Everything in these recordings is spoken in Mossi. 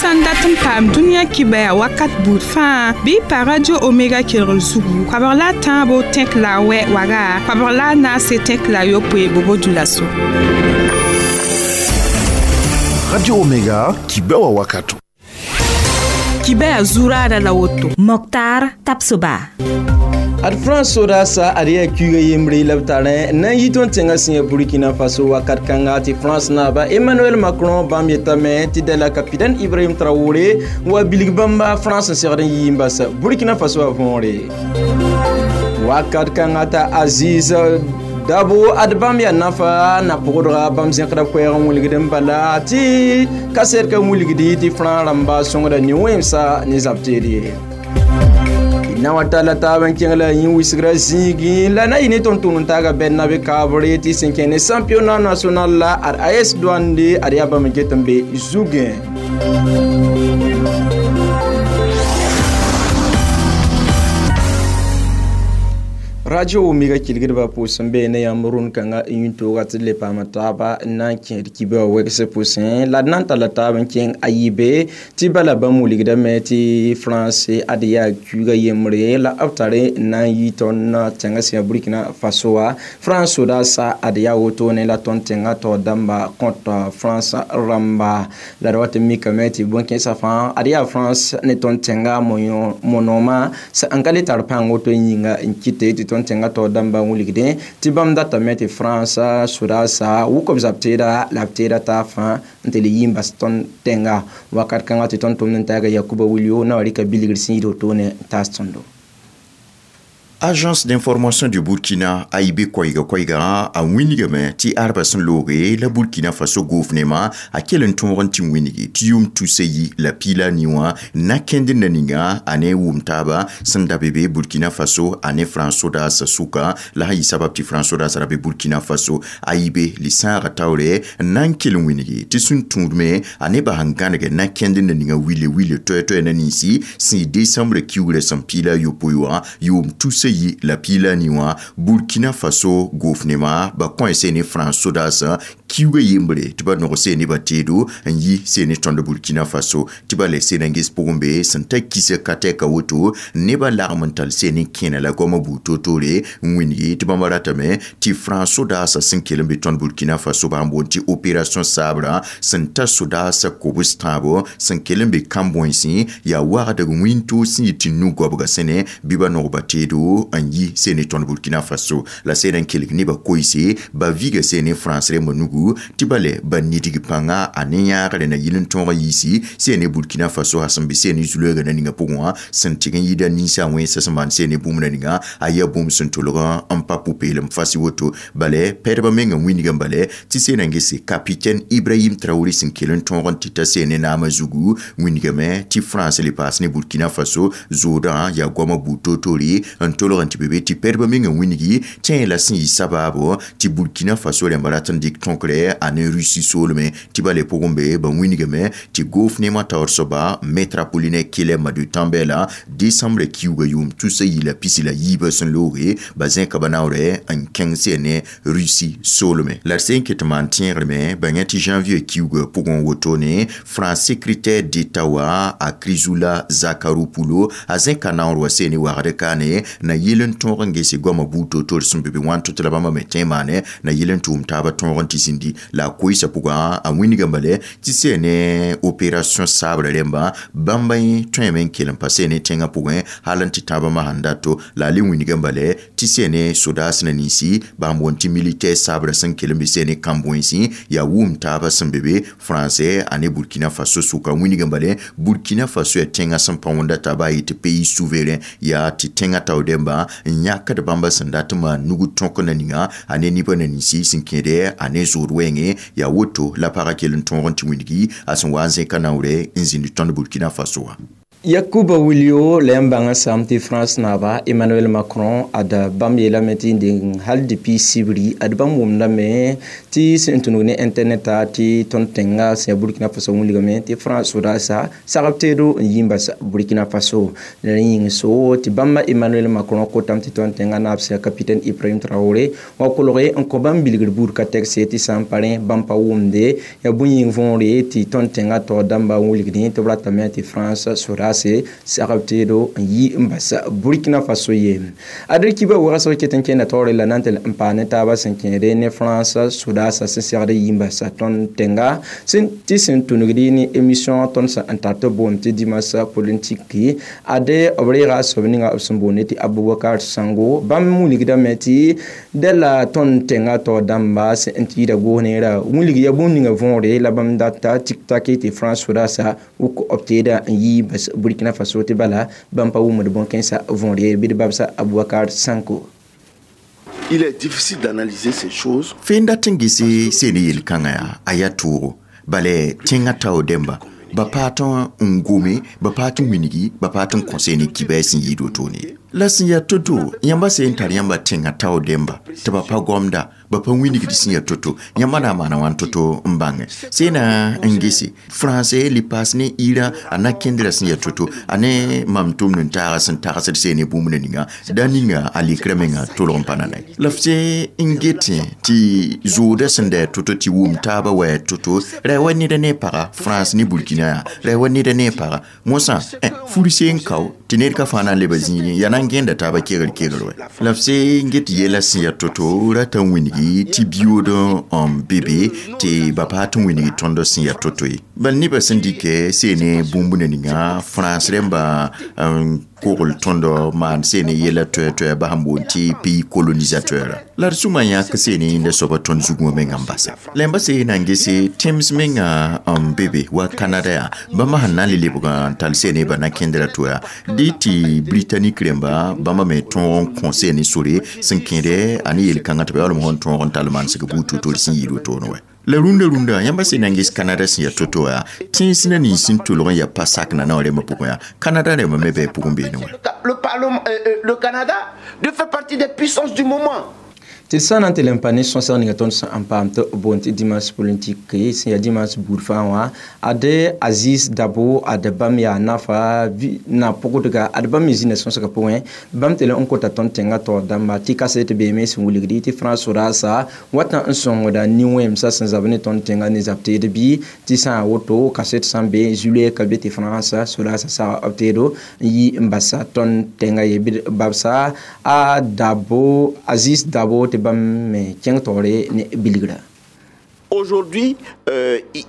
Sã n dat n paam dũniyã kibaya wakat buud fãa bɩ y pa Radio Omega kelgr zugu koabg la a tãabo tẽk la a wɛ waga koabg la a naase tẽk la a yopoe bobo dulaso. Radio Omega kibewa wakato. Kibaya zuraada la woto. Moktar Tapsoba. Ad France sodaasa ad yaa kuiga yembre la b tarẽ na n yi tõnd tẽngã sẽn ya Burkina Faso wakat kãnga tɩ France naaba Emmanuel Macron bãmb yetame tɩ dala capitaine Ibrahim Traoré wa bilg bãmba France n segd n yɩ n bas Burkina Faso a võore wakat kãnga t'a Aziz Dabo ad bãmb yaa nafa na pʋgdga bãmb zẽkda koɛɛg n wilgd n bala tɩ kaset ka wilgdi tɩ France rãmba sõngda ne-wẽmsa ne zab-teed ye. Na wa tala taab n kẽng la yĩ wisgra zĩigẽ la na yɩ ne tõnd-tʋʋm n taaga bɛd na be kaabre tɩ sẽn kẽ ne championnat national la ad AS Douane ad yaa bãmb n ket n be zugẽ. Radio Omega kilgdbã pʋʋs n bee ne yãmb rũnd kãnga n yĩn-tooga tɩ d le paama taaba n na n kẽed kibã wɛgse pʋsẽ la d na n talla taab n kẽng a yibe tɩ bala bãmb wilgdame tɩ France ad yaa kuiga yembre la b tare n na n yi tõnd tẽngã sẽn ya Burkina Faso wã. France sodaasa ad yaa wotone la tõnd tẽngã taoor dãmba kõt France rãmba la d wat n mikame tɩ bõn-kẽensã fãa ad yaa France ne tõnd tẽngã monoomã n ka le tar pãng woto yĩnga n kɩte tɩ tõnd tẽngã taoor dãmba n wilgdẽ tɩ bãmb datame tɩ France sodaasa wʋk b zab-teeda la b teeda taab fãa n tɩ le yi n bas tõnd tẽnga wakat kãngã tɩ tõnd tʋmd n taaga Yakuba Wilio na wa rɩka bilgr sẽn yid wotone n taas tõndo. Agence d'information du Burkina AIB koiga koiga a winigame ti arba sẽn looge la Burkina Faso gouvernement a kell n tõog n tɩ winigi tɩ yʋʋm tusa yi la piila ni wã na kẽnd na ninga a ne wʋm taaba sẽn da be be Burkina Faso a ne France sodaasã sʋka la sã n yɩ sabab tɩ France sodaasã ra be Burkina Faso AIB li-sãagã taoore n na n kell n winigi tɩ sẽn tũudme a ne bas n gãneg na kẽnd na ninga wile wile toɛ-toɛ na ninsi sẽn yɩ décembre kiugrã sẽn piila a yopoe wã yʋʋm tusa yi la piila ni wã Burkina Faso gouvernement ba kõ se ne France sodaasã kiuga yembre tɩ ba nog se ne ba teedo n yi se ne tõnd Burkina Faso tɩ ba le se na n ges pʋgẽ be sẽn ta kisa ka tɛka woto nebã lagm n tall se ne kẽna la goamã buud toor-toore n wĩngi tɩ bãmba ratame tɩ France sodaasã sẽn kell n be tõnd Burkina Faso bãmb boond tɩ opération Sabre sẽn ta sodaasã kobs tãabo sẽn kell n be kãn-bõensẽ yaa wagdg wĩntoog sẽn yɩ tɩ nu-goabga sẽne bɩ ba nog ba teedo n yi se ne tõnd Burkina Faso la sẽn n kelg nebã koeese ba viga se ne France rẽmbã nugu tɩ ba le ba nidg pãnga a ne yãagre na yɩl n tõog yiisi se ne Burkina Faso a sẽn be se ne zu-loeega na ninga pʋgẽ wã sẽn tɩg n yɩɩda ninsã wẽnsa sẽn maan se ne bũmb na ninga a yaa bũmb sẽn tolg n pa pʋ-peelem fas woto bala pɛdbã mengã wĩnigã bala tɩ se na n gese capitaine Ibrahim Traoré sẽn kell n tõog n tɩ ta se ne naamã zugu wĩnigame tɩ France le paas ne Burkina Faso zoodã yaa goamã buud toor-toore n tolg n tɩ be be tɩ pɛdbã mengã wĩnigi tẽ la sẽn yɩ sabaabo tɩ Burkina Faso rẽmba rat n dɩk tõkre a ne Russie soolme tɩ ba le pʋgẽ be ba wĩnigame tɩ gouvernement taoor soaba Maître Apollinaire Kele Madu Tambela décembre kiuga yʋʋm tusa yi la pisi la yiibã sẽn looge ba zẽka ba naoorɛ n kẽng se ne Russie soolme la d sẽn ket n maan tẽegreme ba yẽ tɩ janvier kiuga pʋgẽ wotone France secrétaire d'État wa a Chrysoula Zacharopoulou a zẽka naoor wa se ne wagd kaane na yɩl n tõog n gese goamã buud toor-toor sẽn be be wãn tɩ la bãmba me tẽ maane na yɩl n tʋʋm taabã tõog n tɩ zĩndi la a koeesã pʋgã a wĩnigã bale tɩ se ne opération Sabre rẽmba bãmba yẽ tõeme n kell n pa se ne tẽngã pʋgẽ hal n tɩ tãabã masãn dato la a le wĩnigã bale tɩ se ne sodaas na ninsi bãmb wõn tɩ militaire Sabre sẽn kell n be se ne kãn-bõensẽ yaa wʋm taabã sẽn be be français a ne Burkina Faso sʋka wĩnigã bale Burkina Faso yaa tẽngã sẽn pa wõnda taaba yetɩ pays souverain yaa tɩ tẽngã taoor dẽmba n yãkd bãmba sẽn dat n maan nug tõk na ninga a ne nebã na ninsi sẽn kẽede a ne zood wɛɛngẽ yaa woto la pagã kell n tõog n tɩ wĩnigi a sẽn wa n zẽka naoorɛ n zĩnd tõnd Burkina Faso wã. Yakuba Wilio la yãmb bãngã sãam tɩ France naaba Emmanuel Macron ad bãmb yeelame tɩ n deng hal depuis sibri ad bãmb wʋmdame tɩ sẽn tũnug ne internet a tɩ tõnd tẽnga sẽn yaa Burkina Faso wilgame tɩ France sodaasa sagb teedo n yi n bas Burkina Faso. La rẽ yĩng so tɩ bãmba Emmanuel Macron kotame tɩ tõnd tẽnga naab sẽn yaa capitaine Ibrahim Traoré wa kolge n kõ bãmb bilgr buud ka tɛkse tɩ sã n pa rẽ bãmb pa wʋmde yaa bũn yĩng võore tɩ tõnd tẽnga taoor dãmba wilgdẽ tɩ b ratame tɩ France sodaas sagb teedo n yi n bas Burkina Faso ye. Ad kiba wagsg ket n kẽnda taoore la na n tɩ n paa ne taabã sẽn kẽede ne France sodaasã sẽn segd yi n bas tõnd tẽnga tɩ sẽn tũnugdi ne émission tõnd sẽn n tar tɩ boond tɩ dimanche politique ade b reega a soab ninga b sẽn boonde tɩ Abubakar Sango bãmb wilgdame tɩ dẽ la tõnd tẽnga taoor dãmba sẽn n tɩ yida goos neera wilg ya bũmb ninga võore la bãmb data tik-tak tɩ France sodaasã wʋk b teeda n yi bas Burkina Faso tɩ bala bãmb pa wʋmd bõn-kẽnsã võor ye bɩ d babsa Abubakar Sanko. Il est difficile d'analyser ces choses. Fẽn dat n gese seen yel-kãngã yaa a yaa toogo bala tẽngã tao dẽmba ba paa tɩ n gome ba paa tɩ wilgi ba paa tɩ n kõ ne kibɛɛ sẽn yɩɩd wotone la sẽn yaa to-to yãmba sẽn tar yãmba tẽngã tao dẽmba tɩ ba pa gomda ba pa wilgd sẽn yaa to-to yãmba na n maana wãn to-to n bãnge sẽna n gese français li paas ne ira a na kẽndrã sẽn yaa to-to a ne mam tʋmd n taaga sẽn tagsd seen ne bũmb ninga da ninga a likra menga tolg n pa na la la f se n getẽ tɩ zooda sẽn da to-to tɩ wʋm taabã wa to-to ra wa neda ne paga France ne Burkina yaa ra wa neda ne paga mosã fur seen kao tɩ ned ka fãa na n leba zĩigẽ yaa na n gẽnda taabã kegr kegr wɛ la f se n get yɛla sẽn yaa to-to rata n wilgi tɩ biyood n be be tɩ ba paa tɩ wilgi tõnd sẽn yaa to-to ye bal nebã sẽn dɩkɛ seene bũmb ninga France rẽmba n kogl tõnd maan seene yɛla toɛ-toɛ ba sẽn boond tɩ pays colonisateur la d sũma yãk seene la soaba tõnd zugẽ menga n basa la yãmba se na n gese tẽms menga n be be wa Canada yaa bãmba sẽn na n le lebg n tall seene ba na kẽndra to yaa dɩ tɩ britannique rẽmba bãmba me tõog n kõ seene sore sẽn kẽede a ne yel-kãngã tɩ ba yaoolem sẽn tõog n tall mansg buud to-to sẽn yɩɩd wotone wɛ la rũndã rũndã yãmba sẽn na n ges Canada sẽn yaa to-to yaa tẽns na nins sẽn tolg n yaa pa sak na naoor rẽmbã pʋgẽ yaa Canada rẽmba me bɩ pʋgẽ beene wɛ. Le Parlement, le Canada de fait partie des puissances du moment. Tɩ d sã n na n tɩ le n pa ne sõsg ninga tõnd sẽn n paam tɩ boond tɩ dimanche politique sẽn yaa dimanche buud fãa wã ade Aziz Dabo ad bãmb yaa nafa na pʋgdga ad bãmb me zĩnda sõsgã pʋgẽ bãmb tɩ le n kota tõnd tẽngã taoor dãmba tɩ kaset beeme sẽn wilgdi tɩ France sodaasa watã n sõngda nin-wẽmsã sẽn zab ne tõnd tẽngã ne zab teed bɩ tɩ sã n woto kaset sã n be juillet ka be tɩ France sodaasa sag b teedo n yi n basa tõnd tẽngã ye bɩ babsa a Dabo Aziz Dabo tɩ bãmb me kẽng taoore ne bilgra. Aujourd'hui,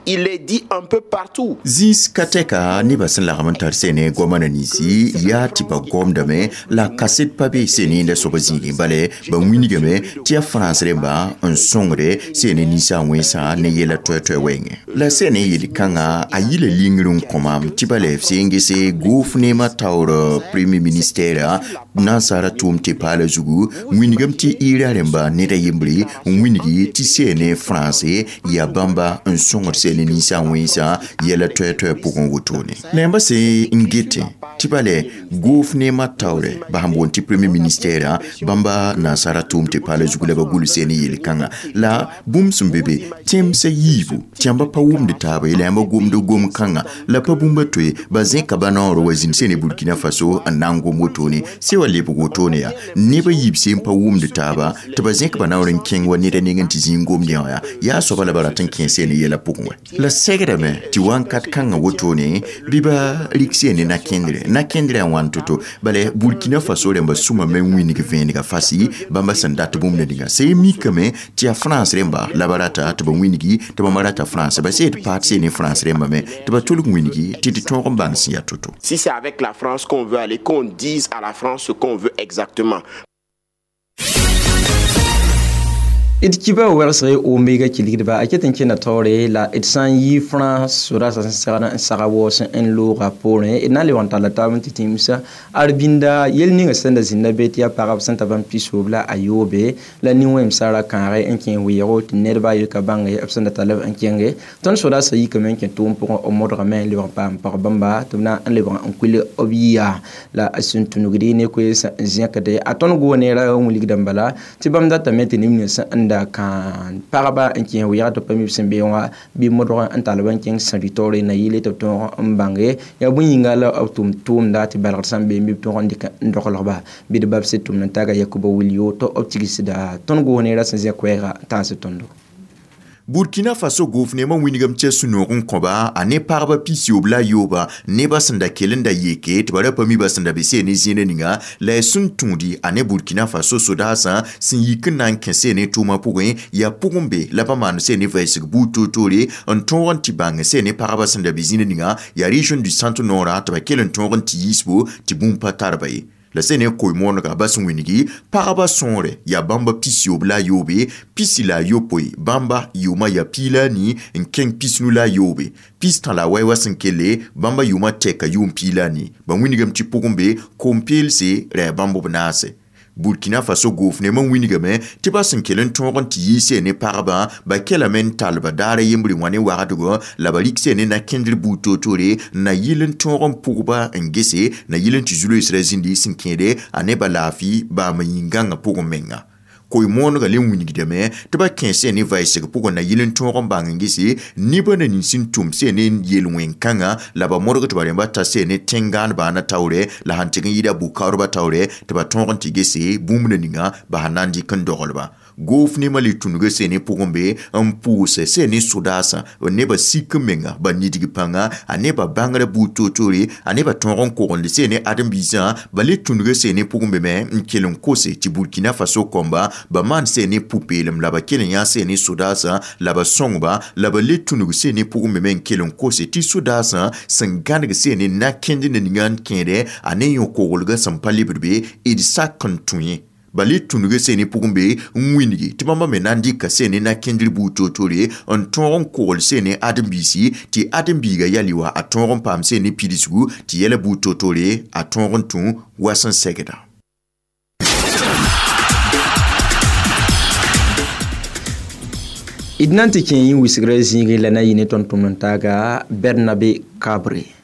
il est dit un peu partout. Zĩis ka tɛka nebã sẽn lagm n tar seene goamã na ninsi yaa tɩ ba gomdame la kaset pa be seene la soaba zĩigẽ bala ba wilgame tɩ yaa France rẽmba n sõngde seene ninsã wẽnsã ne yɛla toɛ-toɛ wɛɛngẽ la seene yel-kãngã a yila lingr n kõ maam tɩ bala f seen gese gouvernement taoor premier ministère nansara tʋʋm tɩ paala zugu wilgame tɩ ira rẽmba ned a yembre n wilgi tɩ seene français yaa bãmba n sõngd seene ninsã wẽnsã yɛla toɛ-toɛ pʋgẽ wotone la yãmba sẽn n getẽ tɩ bala gouvernement taoore ba sẽn boond tɩ premier ministère bãmba nansara tʋʋm tɩ paala zugu la ba gʋls seene yel-kãngã la bũmb sẽn be be tẽmsã yiibu tɩ yãmba pa wʋmd taaba ye la yãmba gomd gom-kãngã la pa bũmba toe ba zẽka ba naoor wa zĩnd seene Burkina Faso n na n gom wotone se wa lebg wotone yaa nebã yiib sẽn pa wʋmd taaba tɩ ba zẽk ba naoor n kẽng wa neda nengẽ tɩ zĩig gomd yã wã yaa soaba la ba rat n kẽ seene yɛla pʋgẽ wɛ la sɛgdame tɩ wãnkat kãngã wotone bɩ ba rik seene na-kẽndre na-kẽndrã yaa wãn to-to bala Burkina Faso rẽmba sũma me n wĩneg vẽenega fasi bãmba sẽn dat bũmb na ninga sẽn mikame tɩ yaa France rẽmba la ba rata tɩ ba wĩngi tɩ bãmba rata France ba sed paat seene France rẽmba me tɩ ba tolg wĩngi tɩ d tõog n bãng sẽn yaa to-to. Si c'est avec la France qu'on veut aller, qu'on dise à la France ce qu'on veut exactement. D kiba wɛlsg Omega kilgdba a ket n kẽna taoore la d sã n yi France sodaasã sẽn segd n saga waoos n looga poorẽ d na n lebg n talla taab n tɩ tĩmsa arbinda yel ninga sẽn da zĩnda be tɩ yaa pagb sẽn ta bãmb 63 la nin-wẽmsã ra kãage n kẽ weoogo tɩ nedba yelka bãnge b sẽn da tall b n kẽnge. Tõnd sodaasã yikame n kẽ tʋʋm pʋgẽ b modgame n lebg n paam pag bãmba tɩ b na n lebg n kuil b yiya la a sẽn tũnugdi ne koees n zẽkde a tõnd goone ra wilgdã bala tɩ bãmb datame tɩ neb nins n da kãan pagba n kẽ wɩɛg tɩ pa mi b sẽn be wã bɩ modg n tall b n kẽng sãri taoore na yɩle tɩ b tõog n bãnge yaa bõe yĩnga la b tʋm tʋʋmda tɩ balgd sã n be bɩ b tõog n dɩk n doglgba bɩ d babs tʋmd n taga Yakuba Wilio tɩ b tigsda tõnd goone ra sẽn zẽ koɛɛga n tãas tõndo. Burkina Faso gouvernement wingam tɩ sũ-noog n kõba a ne pagba 63 nebã sẽn da kell n da yeke tɩ ba ra pa mi ba sẽn da be see ne zĩnã ninga la y sẽn tũudi a ne Burkina Faso sodaasã sẽn yik n na n kẽ see ne tʋʋmã pʋgẽ yaa pʋgẽ be la ba maan see ne vɛɛsg buud toor-toore n tõog n tɩ bãng see ne pagba sẽn da be zĩnã ninga yaa région du centre nord tɩ ba kell n tõog n tɩ yiisbo tɩ bũmb pa tar ba ye. La sẽn ne koe-moonega bas wĩngi pagba sõore yaa bãmba 63, 69 bãmba yʋʋmã yaa 14 n kẽng 53, 49 wa sẽn kelle bãmba yʋʋmã tɛka yʋʋm 14. Ba wĩngame tɩ pʋgẽ be kom-peelse ra yaa bãmb b naase. Burkina Faso gouvernement wĩngame tɩ ba sẽn kell n tõog n tɩ yiise ne pagba ba kelame n talba daara yembre wã ne wagdgo la ba rɩk see ne na-kẽndr buud toor-toore na yɩl n tõog n pʋgba n gese na yɩl n tɩ zu-loeesrã zĩndi sẽn kẽede a ne ba laafɩ baam yĩn-gãngã pʋgẽ menga. Koe-moonega le wĩngdame tɩ ba kẽ see ne vɛɛsg pʋgẽ na yɩl n tõog n bãng n gese nebã na nins n tʋm see ne yel-wẽn-kãngã la ba modg tɩ ba rẽmba ta see ne tẽn-gãanbã na taoorɛ la sãn tɩg n yɩɩda bʋ-kaoodbã taoorɛ tɩ ba tõog n tɩ gese bũmb na ninga ba sẽn na n dɩk n doglba. Gouvernement le tũnuga see ne pʋgẽ be n pʋʋsɛ see ne sodaasã nebã sik n menga ba nidg pãnga a nebã bãngrã buud toor-toore a nebã tõog n kogend see ne ãdem-biisã ba le tũnuga see ne pʋgẽ be me n kell n kose tɩ Burkina Faso kõmba ba maan see ne pʋ-peelem la ba kell n yã see ne sodaasã la ba sõngba la ba le tũnug see ne pʋgẽ be me n kell n kose tɩ sodaasã sẽn gãneg see ne na-kẽnd na ninga n kẽede a ne yõ-koglgã sẽn pa lebd be d sak n tũ ye. Ba le tũnuga see ne pʋgẽ be n wĩngi tɩ bãmba me na n dɩka see ne na-kẽndr buud toor-toore n tõog n kogl see ne ãdem-biisi tɩ ãdem-biiga yali wa a tõog n paam see ne pidsgu tɩ yɛla buud toor-toore a tõog n tũ wa sẽn segda. D na n tɩ kẽ yẽ wɩsgrã zĩigẽ la na yɩ ne tõnd tʋmd n taaga Bernabe Kabre.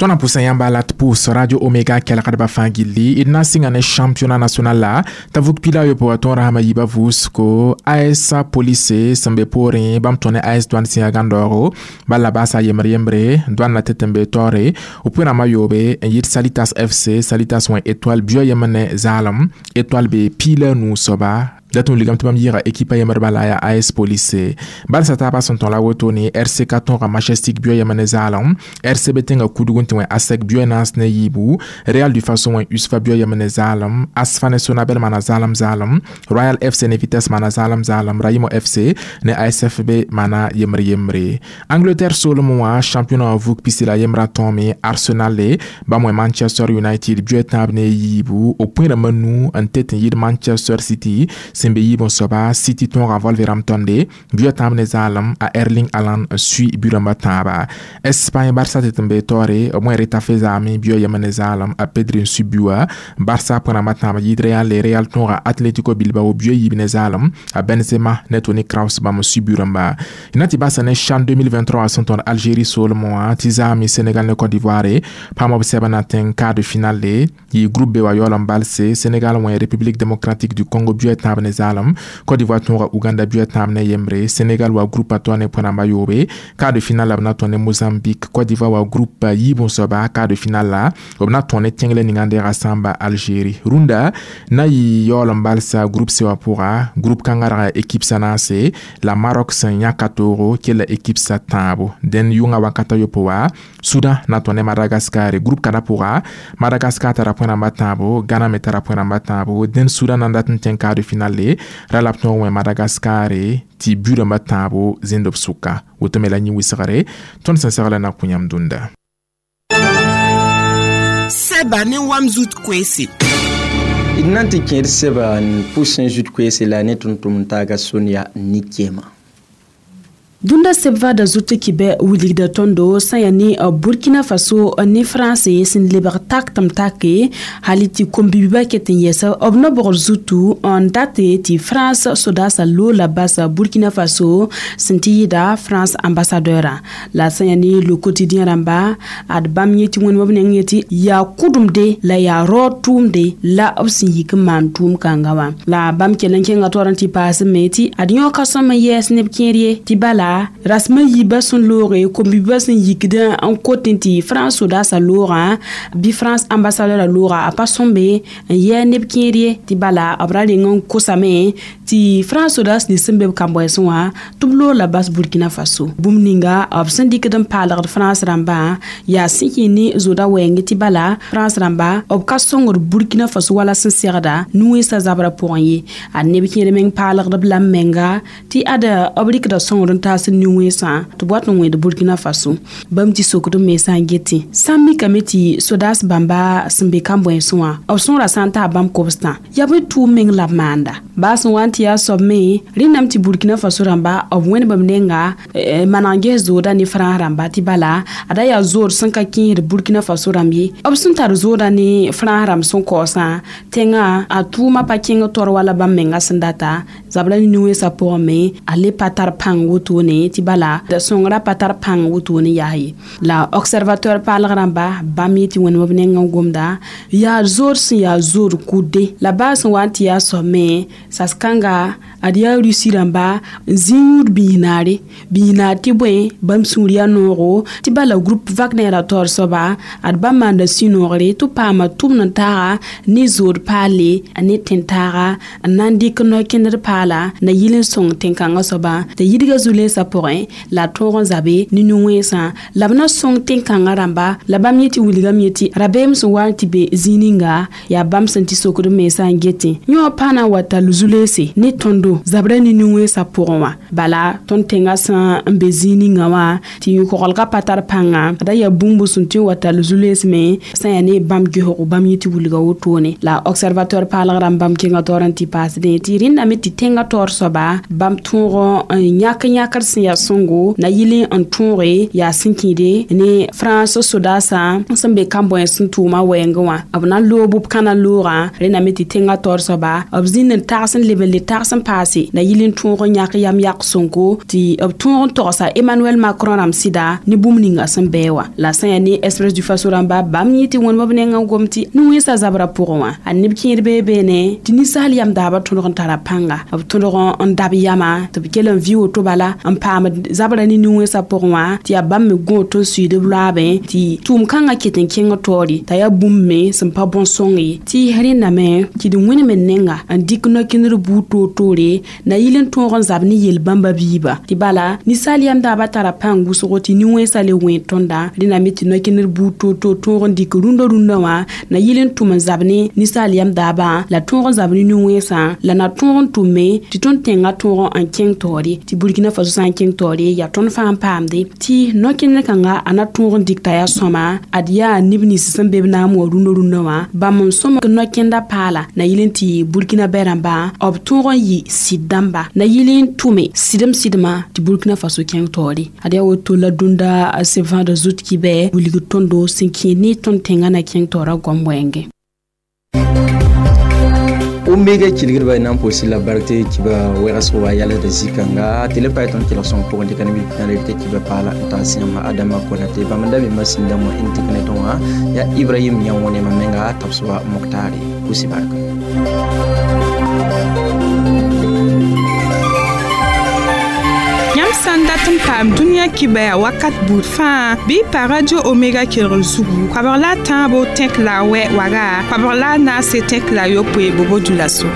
Tõnd na pʋsã yãmba la tɩ pʋʋs Radio Omega kelgdbã fãa gilli d na n sɩnga ne championnat national la t'a vug 69 wa tõog rasmã yiibã vʋʋsgo AS Police sẽn be poorẽ bãmb tõe ne AS Douane sẽn yaa gãndaoogo bala la baasa yembr yembre Douane la tɩ tɩ n be taoore b pʋɩ-rãmbã yoobe n yɩɩd Salitas FC Salitas wẽ étoile bio yembr ne zaalem étoile be 15 soaba dat n wilgame tɩ bãmb yɩɩga équipe yembr bala yaa AS Police balsa taabã sẽn tõe la wotone RCK tõoga Majestic bio yembr ne zaalem RCB tẽnga kudg n tɩ wẽ ASEC bio naas ne yiibu Real du Faso wẽ USFA bio yembr ne zaalem ASFA ne Sonabel maana zaalem zaalem Royal FC ne Vitesse maana zaalem zaalem Raimo FC ne ASFB maana yembre yembre. Angleterre soolem wã championnat vug pisi la yembrã tõome Arsenal le bãmb wẽ Manchester United bio tãab ne yiibu b pʋɩ-rãmbã nu n tet n yɩɩd Manchester City sẽn be yiib n soaba City tõoga Wolverhampton de bio tãab ne zaalem a Erling Haaland n sui bu-rãmbã tãaba. Espagne Barça tɩ tɩ n be taoore b wẽ Retafe zaame bio yembr ne zaalem a Pedri n sui buã Barça pʋɩ-rãmbã tãab yɩɩd Real le Real tõoga Atlético Bilbao bio yiib ne zaalem a Benzema ne Toni Kroos bãmb n sui bu-rãmba. Na tɩ basa ne CHAN 2023 sẽn tõnd Algérie soolem wã tɩ zaame Sénégal ne Côte d'Ivoire paam b sɛbã na tẽng quart de finale le yɩ groupe B wa yaool n balse Sénégal wẽ République démocratique du Congo bio tãab ne zaalem Côte d'Ivoire tõoga Uganda bio tãab ne yembre Sénégal wa groupe a toa ne pʋɩ-rãmbã yoobe quart de finale la b na tõe ne Mozambique Côte d'Ivoire wa groupe yiib n soaba quart de finale la b na tõe ne tẽnglɛ ninga n deega sãmba Algérie. Rũndã na yɩ yaool n balsa groupe C wã pʋga groupe kãngã rag yaa équipe sã naase la Maroc sẽn yãka toogo kell équipe sa tãabo dẽn yʋngã wakata yopo wa Soudan na tõe ne Madagascar groupe kãdã pʋga Madagascar tara pʋɩ-rãmbã tãabo Ghana me tara pʋɩ-rãmbã tãabo dẽn Soudan na n dat n tẽng quart de finale le ra la b tõog wẽ Madagascar tɩ bu-rãmbã tãabo zẽnd b sʋka woto me la yẽ wɩsgre tõnd sẽn segla na kõ yãmb dũnda. Sɛba ne wam zut koeese. D na n tɩ kẽed sɛba n pʋsẽ zut koeese la ne tʋm-tʋmd taaga Sonia Nikema. Dũnda sebvada zut kibɛ wilgda tõndo sã yaa ne Burkina Faso ne France sẽn lebg tak tɩ m take hali tɩ kom-bibiba ket n yɛsa b no-bogr zutu n date tɩ France sodasa loola basa Burkina Faso sẽn tɩ yɩɩda France ambassadeurã. La sã yaa ne Le Quotidien rãmba ad bãmb yẽ tɩ wẽnema b neng yetɩ yaa kʋdemde la yaa raood tʋʋmde la b sẽn yik n maan tʋʋm kãnga wã. La bãmb kell n kẽnga taoor n tɩ paas me tɩ ad yõ ka sõm n yɛɛs neb kẽer ye tɩ bala rasmã yiibã sẽn looge kom-biibã sẽn yikd n kot n tɩ France sodasã loogã bɩ France ambassadeur looga a pa sõmbe n yɛɛ neb kẽer ye tɩ bala b ra reng n kosame tɩ France sodas nins sẽn be b kambɔɛsẽ wã tɩ b loog la bas Burkina Faso. Bũmb ninga b sẽn dɩkd n paalgd France rãmbã yaa sẽn kẽ ne zoda wɛɛng tɩ bala France rãmba b ka sõngd Burkina Faso wala sẽn segda nu-wẽnsã zabrã pʋgẽ ye. A neb kẽer meng paalgd b lam menga tɩ ad b rɩkda sõngd n taas nu-wẽnsã tɩ b wat n wẽed Burkina Faso. Bãmb tɩ sokd me sã n getẽ sã n mikame tɩ sodas bãmba sẽn be kambõensẽ wã b sõora sã n taa bãmb kobstã yaa bõe tʋʋm meng la b maanda baa sẽn wa n tɩ yaa soab me rẽndame tɩ Burkina Faso rãmba b wẽneb b nenga maneg ges zooda ne France rãmba tɩ bala ada yaa zood sẽn ka kẽesd Burkina Faso rãmb ye. B sẽn tar zooda ne France rãmb sẽn kaoosã tẽngã a tʋʋmã pa kẽng tor wala bãmb menga sẽn data zabra ne nu-wẽnsã pʋgẽ me a le pa tar pãng wotone tɩ bala da sõngrã pa tar pãng wotone yaa ye. La Observateur paalg rãmba bãmb yetɩ wẽnema b neng n gomda yaa zood sẽn yaa zood kʋdde la baa sẽn wa n tɩ yaa soab me sas-kãnga ad yaa Rusi rãmba n zĩ yũud biis-naare biis-naar tɩ bõe bãmb sũur yaa noogo tɩ bala groupe Wagner a taoor soaba ad bãmb maanda sũ-noogre tɩ b paama tʋmd n taaga ne zood paale ne tẽn-taaga n na n dɩk no-kẽndr paala na yɩl n sõng tẽn-kãngã soaba t'a yidga zu-lensã pʋgẽ la a tõog n zabe ne nu-wẽnsã la b na sõng tẽn-kãngã rãmba. La bãmb yetɩ wilgame yetɩ rabeem sẽn wa n tɩ be zĩig ninga yaa bãmb sẽn tɩ sokd mensã n getẽ yõ pãa na n wa tall zu-lense ne tõndo zabra ne nu-wẽnsã pʋgẽ wã. Bala tõnd tẽngã sẽn n be zĩig ninga wã tɩ yũ-kogelgã pa tar pãnga da yaa bũmb sẽn tõe n wa tall zu-lens me sã yaa ne bãmb gesgo bãmb yetɩ wilga wotone. La Observateur paalg rãmb bãmb kẽnga taoor n tɩ paasdẽ tɩ rẽndame tɩ tẽngã taoor soaba bãmb tõog n yãk yãkr sẽn yaa sõngo na yɩl n tõoge yaa sẽn kẽede ne France sodasã sẽn be kambõens sẽn tʋʋma wɛɛngẽ wã b na n loog b kãna loogã rẽndame tɩ tẽngã taoor soaba b zĩnd n tags n leb n le tags n paase na yɩl n tõog n yãk yam yak sõngo tɩ b tõog n togsa Emmanuel Macron rãmb sɩda ne bũmb ninga sẽn bɛɛ wã. La sã yaa ne Express du Faso rãmba bãmb yẽ tɩ wẽnema b neng n gom tɩ nu-wẽnsã zabrã pʋgẽ wã a neb kẽer bee beene tɩ ninsaal yam daabã tõdg n tara pãnga b tõdg n dab yama tɩ b kell n vɩ woto bala n paam zabra ne nu-wẽnsã pʋgẽ wã tɩ yaa bãmb me gõ tɩ n suiid b loaabẽ tɩ tʋʋm kãngã ket n kẽng taoore t'a yaa bũmb me sẽn pa bõn-sõng ye tɩ rẽndame tɩ d wẽnem n nenga n dɩk no-kẽndr buud toor-toore na yɩl n tõog n zab ne yel-bãmba biiba tɩ bala ninsaal yam daabã tara pãng wʋsgo tɩ nin-wẽnsã le wẽed tõnda rẽndame tɩ no-kẽndr buud toor-toor tõog n dɩk rũndã rũndã wã na yɩl n tʋm n zab ne ninsaal yam daabã la tõog n zab ne nin-wẽnsã la na tõog n tʋmme tɩ tõnd tẽngã tõog n kẽng taoore tɩ Burkina Faso sã n kẽng taoore yaa tõnd fãa n paamde tɩ no-kẽndr kãnga a na tõog n dɩk t'a yaa sõma ad yaa neb nins sẽn be b naam wa rũndã rũndã wã bãmb n sõm no-kẽnda paala na yɩl n tɩ Burkina bɛ rãmbã b tõog n yɩ sɩd dãmba na yɩl n tʋme sɩdem sɩdmã tɩ Burkina Faso kẽng taoore ad yaa woto la dũnda sebvãada zut kibɛ wilg tõndo sẽn kẽed ne tõnd tẽngã na kẽng taoorã goam wɛɛngẽ. Omega kilgdba nan pʋʋs la bark tɩ kiba wɛgsg wa yalsda zĩ-kãnga tɩ le pa tõnd kelg sõng pʋgẽ tɩ ka ne tɩ kiba paala n taas yãmb Adama Konate bãmb n da me masĩn dãmbã n dɩk ne tõe wã yaa Ibrahim yã wẽnema menga tabsba Moktare pʋʋs barka. Yãmb sã n dat n paam dũniyã kibɛa wakat buud fãa bɩ pa Radio Omega kelgr zugu koabg la a tãabo tẽk la a wɛ waga koabg la a naase tẽk la a yopoe bobo dulaso.